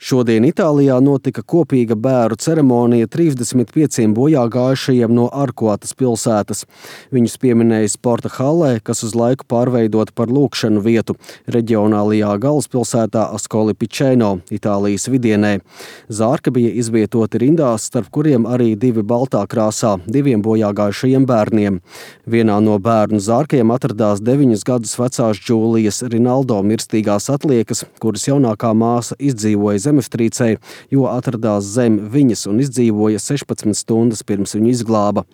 Šodien Itālijā notika kopīga bēru ceremonija 35 bojāgājušajiem no Arkuatas pilsētas. Viņus pieminēja sporta hallē, kas uz laiku pārveidota par lūgšanu vietu reģionālajā galvaspilsētā Ascoli Piceno, Itālijas vidienē. Zārki bija izvietoti rindās, starp kuriem arī divi baltā krāsā, diviem bojāgājušajiem bērniem. Vienā no bērnu zārkiem atradās 9 gadus vecās Džūlijas Rinaldo mirstīgās atliekas, kuras jaunākā māsa izdzīvoja zemestrīcē, jo atradās zem viņas un izdzīvoja 16 stundas pirms viņu izglāba.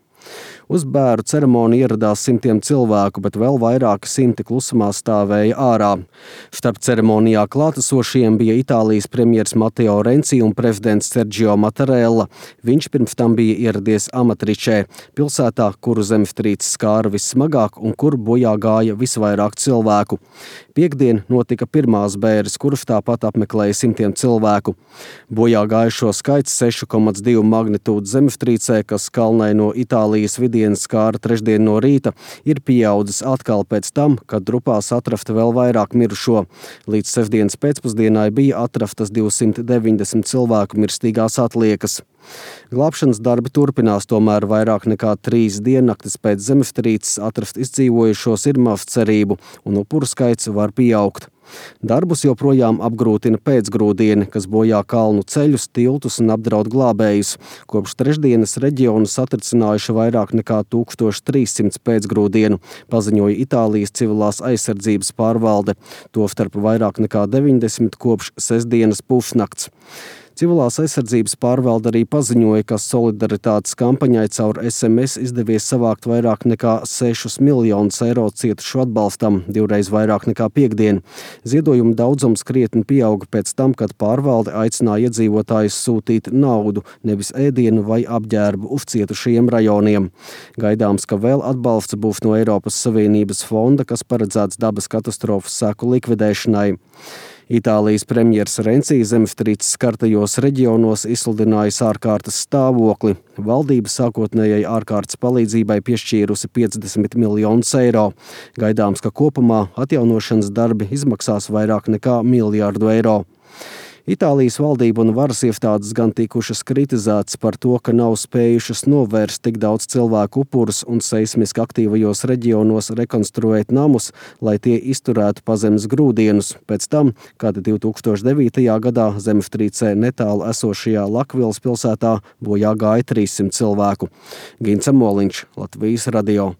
Uz bēru ceremoniju ieradās simtiem cilvēku, bet vēl vairāki simti klusumā stāvēja ārā. Starp ceremonijā klātesošiem bija Itālijas premjers Matteo Renzi un prezidents Sergio Mattarella. Viņš pirms tam bija ieradies Amatričē, pilsētā, kuru zemestrīce skāra vissmagāk un kur bojā gāja visvairāk cilvēku. Piektdien notika pirmās bēres, kuras tāpat apmeklēja simtiem cilvēku. Bojā gājušo skaits 6,2 magnitūdas zemestrīcē, kas kalnai no Itālijas vidienas skāra trešdien no rīta, ir pieaudzis atkal pēc tam, kad drupās atrasta vēl vairāk mirušo. Līdz sestdienas pēcpusdienai bija atrastas 290 cilvēku mirstīgās atliekas. Glābšanas darbi turpinās, tomēr vairāk nekā 3 diennaktis pēc zemestrīces atrast izdzīvojušos ir maz cerību, un upuru skaits var pieaugt. Darbus joprojām apgrūtina pēcgrūdieni, kas bojā kalnu ceļus, tiltus un apdraud glābējus. Kopš trešdienas reģionu satricinājuši vairāk nekā 1300 pēcgrūdienu, paziņoja Itālijas civilās aizsardzības pārvalde, tostarp vairāk nekā 90 kopš sestdienas pusnakts. Civilās aizsardzības pārvalde arī paziņoja, ka solidaritātes kampaņai caur SMS izdevies savākt vairāk nekā 6 miljonus eiro cietušu atbalstam, 2 reiz vairāk nekā piektdien. Ziedojumu daudzums krietni pieauga pēc tam, kad pārvalde aicināja iedzīvotājus sūtīt naudu, nevis ēdienu vai apģērbu uz cietušajiem rajoniem. Gaidāms, ka vēl atbalsts būs no Eiropas Savienības fonda, kas paredzēts dabas katastrofas seku likvidēšanai. Itālijas premjers Renzi zemestrīces skartajos reģionos izsludinājis ārkārtas stāvokli. Valdība sākotnējai ārkārtas palīdzībai piešķīrusi 50 miljonus eiro. Gaidāms, ka kopumā atjaunošanas darbi izmaksās vairāk nekā 1 miljārdu eiro. Itālijas valdība un varas iestādes gan tikušas kritizētas par to, ka nav spējušas novērst tik daudz cilvēku upurus un seismiski aktīvajos reģionos rekonstruēt namus, lai tie izturētu pazemes grūdienus. Pēc tam, kad 2009. gadā zemestrīcē netālu esošajā Lakvilas pilsētā bojā gāja 300 cilvēku. Gints Amoliņš, Latvijas radio.